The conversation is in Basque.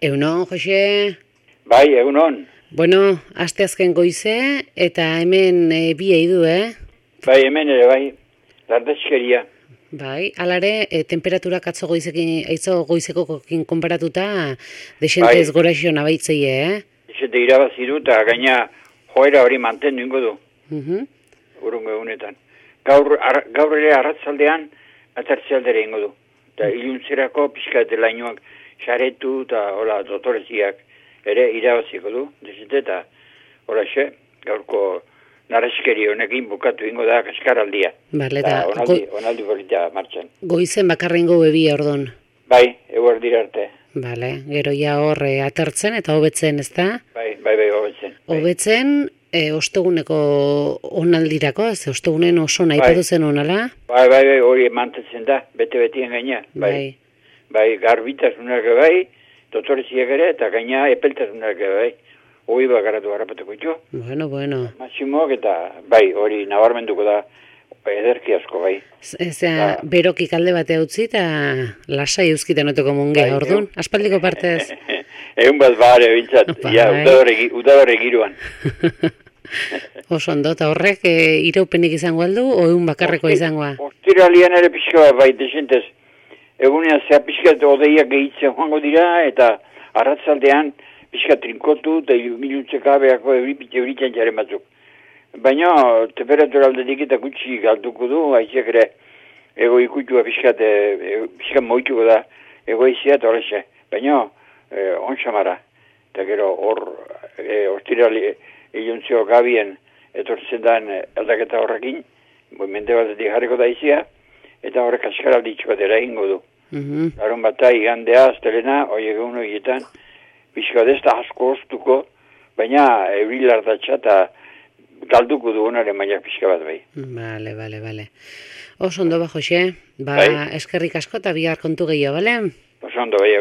Egunon, Jose? Bai, egunon. Bueno, asteazken goize, eta hemen bi eidu, Bai, hemen ere, bai, lardezkeria. Bai, alare, temperaturak atzo goizekokin konparatuta, desentez gora xo nabaitzei, Izete irabazi du, eta gaina joera hori mantendu ingo du, urungo egunetan. Gaur ere arratzaldean, atartzealdere ingo du. Eta iluntzerako pixka delainoak xaretu eta hola dotoreziak ere irabaziko du, desente eta hola xe, gaurko narreskeri honekin bukatu ingo da kaskaraldia. Bale, eta onaldi politia martxan. Goizen bakarrengo bebia ordon. Bai, eguer dira arte. Bale, gero ja hor atertzen eta hobetzen, ez da? Bai, hobetzen. Hobetzen, osteguneko onaldirako, ez ostegunen oso nahi paduzen onala? Bai, hori mantetzen da, bete-betien gaina. Bai, garbitasunak bai, dotoreziak ere, eta gaina epeltasunak bai. Hoi bakaratu harrapatuko itxo. Bueno. Maximoak eta bai, hori nabarmenduko da ederki asko bai. Berokik alde batea utzi eta lasai euskiten oteko mungea, orduan? Aspaldiko partez? Egun bat bare bintzat, udadore giruan. Oso ondo, eta horrek iraupenik izango aldu, o egun bakarreko izangoa? Ostiralian ere pixka bai, desentez. Egunean zea pixka odeiak gehitzen joango dira, eta arratzaldean pixka trinkotu eta miluntzekabeako euritzen jaren batzuk. Baina temperatura aldetik eta gutxi galduko du, haizeak ere ego ikutua pixka moituko da egoizia eta horrexe. Baina ontsamara, eta gero hor ostirali iluntzio gabien etortzen den aldaketa horrekin, mende batetik jarriko da izia, eta horrek askaralditxo bat eraingo du. Larun bata, igandea, astelena, hoi egun horietan, pixka desta asko oztuko, baina eurilardatxa eta galduko du honaren maila pixka bat bai. Bale. Oso ondo ba, Jose, eskerrik asko eta bihar kontu gehiago, bale? Oso ondo bai,